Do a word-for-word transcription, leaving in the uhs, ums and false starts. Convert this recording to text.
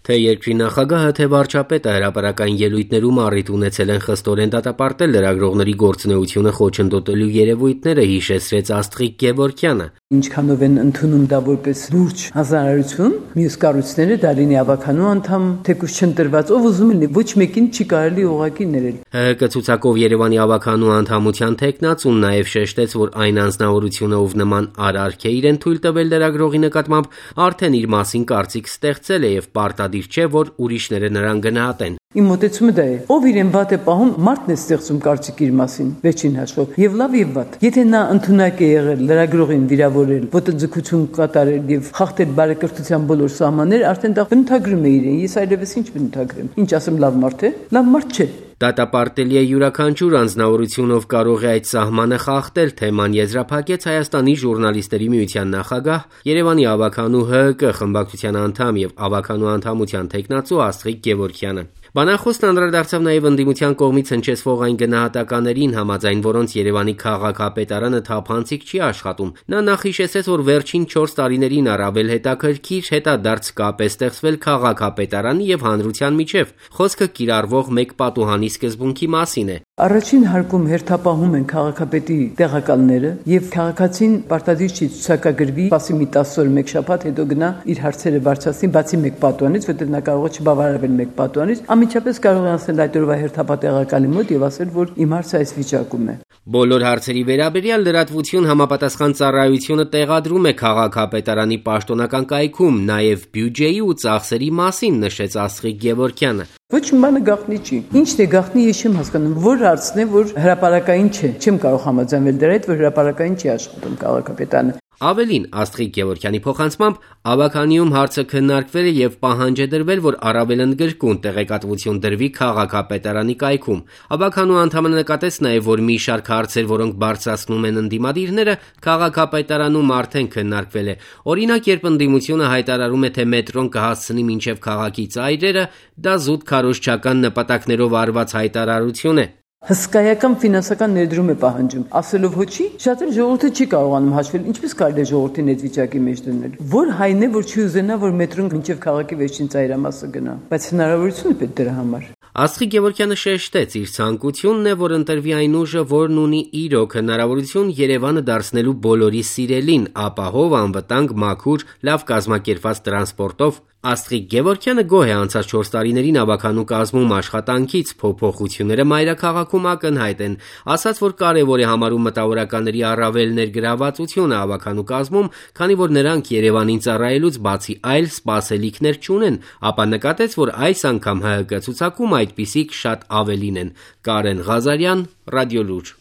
Թե երկրի նախագահը, թե վարչապետը հրապարակային ելույթներում առիթ ունեցել են խստորեն դատապարտել լրագրողների գործունեությունը խոչընդոտելու երևույթները, հիշեցրեց Աստղիկ Գևորգյանը. Ինչքանով են ընդունում դա որպես լուրջ հանրություն, մյուս կառույցները Դարինի ավականու անդամ, թեկուզ չընտրված, ով ուզում է, ոչ մեկին չի կարելի ուղղակի ներել։ ՀՀԿ ցուցակով Երևանի ավականու անդամության թեկնածուն նաև շեշտեց, որ այն անձնավորությունը, ով նման արարք է իրեն թույլ տվել լրագրողի նկատմամբ, արդեն իր մասին կարծիք ստեղծել է եւ պարտադիր չէ, որ ուրիշները նրան գնահատեն։ Իմ մոտեցումը դա է, ով իրեն վատ է պահում, մարդն է ստեղծում կարծիք իր մասին, վերջին հաշվով, եւ լավ եւ վատ։ Եթե նա ընդունակ է եղել լրագրողին վիրավորել, ոտնձգություն կատարել եւ խախտել բարեկրթության բոլոր սահմաններ, արդեն դա բնութագրում է իրեն։ Ես այլևս ինչ բնութագրեմ։ Ինչ ասեմ, լավ մարդ է։ Լավ մարդ չէ։ Դատապարտելի է յուրաքանչյուր անձնավորությունով կարող է այդ սահմանը խախտել, թեման եզրափակեց Հայաստանի ժուրնալիստերի միության նախագահ, Երևանի ավականու ՀՀԿ խմբակցության անդամ եւ ավականու անդամության թեկնածու Աստղիկ Գևորգյանը։ Բանախոսն անդրադարձավ նաև ընդդիմության կողմից հնչեցվող այն գնահատականներին, համաձայն որոնց Երևանի քաղաքապետարանը թափանցիկ չի աշխատում։ Նա նախ հիշեցրեց, որ վերջին չորս տարիներին առավել հետաքրքիր հետադարձ կապ է ստեղծվել քաղաքապետարանի եւ հանրության միջև։ Խոսքը կիրառվող մեկ պատուհանի սկզբունքի մասին է։ Առաջին հարկում հերթապահում են քաղաքապետի տեղակալները եւ քաղաքացին պարտադիր չի ցուցակագրվի, բացի մի տասը օր մեկ շաբաթ հետո գնա իր հարցերը բարձրացնի, բացի մեկ պատուհանից, որտեղ նա կարող է չբավարարվել մեկ պատուհանից, ամիջապես կարող է ասել այդ օրվա հերթապատեղակալի մոտ եւ ասել, որ իմ հարցը այս վիճակում է։ Բոլոր հարցերի վերաբերյալ լրատվություն համապատասխան ծառայությունը տեղադրում է քաղաքապետարանի պաշտոնական կայքում, նաեւ բյուջեի ու ծախսերի մասին, նշեց Աստղիկ Գևորգյանը։ Ոչ մի բանը գաղտնի չի։ Ինչն է գաղտնի, ես չեմ հասկանում, որ հարցն է, որ հրապարակային չէ։ Չեմ կարող համաձայնվել դրա հետ, որ հրապարակային չի աշխատում քաղաքապետարանը։ Ավելին, Աստղիկ Գևորգյանի փոխանցմամբ, ավականիում հարցը քննարկվել է եւ պահանջ է դրվել, որ առավել ընդգրկուն տեղեկատվություն դրվի քաղաքապետարանի կայքում։ Ավականու անդամը նկատեց նաեւ, որ մի շարք հարցեր, որոնք բարձրացնում են ընդդիմադիրները, քաղաքապետարանում արդեն քննարկվել է։ Օրինակ, երբ ընդդիմությունը հայտարարում է, թե մետրոն կհասցնի մինչև քաղաքի ծայրերը, դա զուտ քարոզչական նպատակներով արված հայտարարություն է։ Հսկայական ֆինանսական ներդրում է պահանջում, ասելով հոչի, շատ էլ ժողովուրդը չի կարողանում հաշվել, ինչպես կարելի է ժողովրդին այդ վիճակի մեջ դնել։ Որ հայն է, որ չի ուզենա, որ մետրոն մինչև քաղաքի վերջին ծայրամասը գնա, բայց հնարավորություն է պետք դրա համար։ Աստղիկ Գևորգյանը շեշտեց, իր ցանկությունն է, որ ընտրվի այն ուժը, որն ունի իրոք հնարավորություն Երևանը դարձնելու բոլորի սիրելին, ապահով, անվտանգ, մաքուր, լավ կազմակերպված տրանսպորտով։ Աստղիկ Գևորգյանը գոհ է անցած չորս տարիներին ավականու կազմում աշխատանքից, փոփոխությունները մայրաքաղաքում ակնհայտ են, ասաց, որ կարևոր է համարում մտավորականների առավել ներգրավվածությունը ավականու կազմում, քանի որ նրանք Երևանին ծառայելուց բացի այլ սպասելիքներ չունեն, ապա նկատեց, որ այս անգամ ՀՀԿ ցուցակում այդպիսիք շատ ավելին են։ Կարեն Ղազարյան, Ռադիոլուր։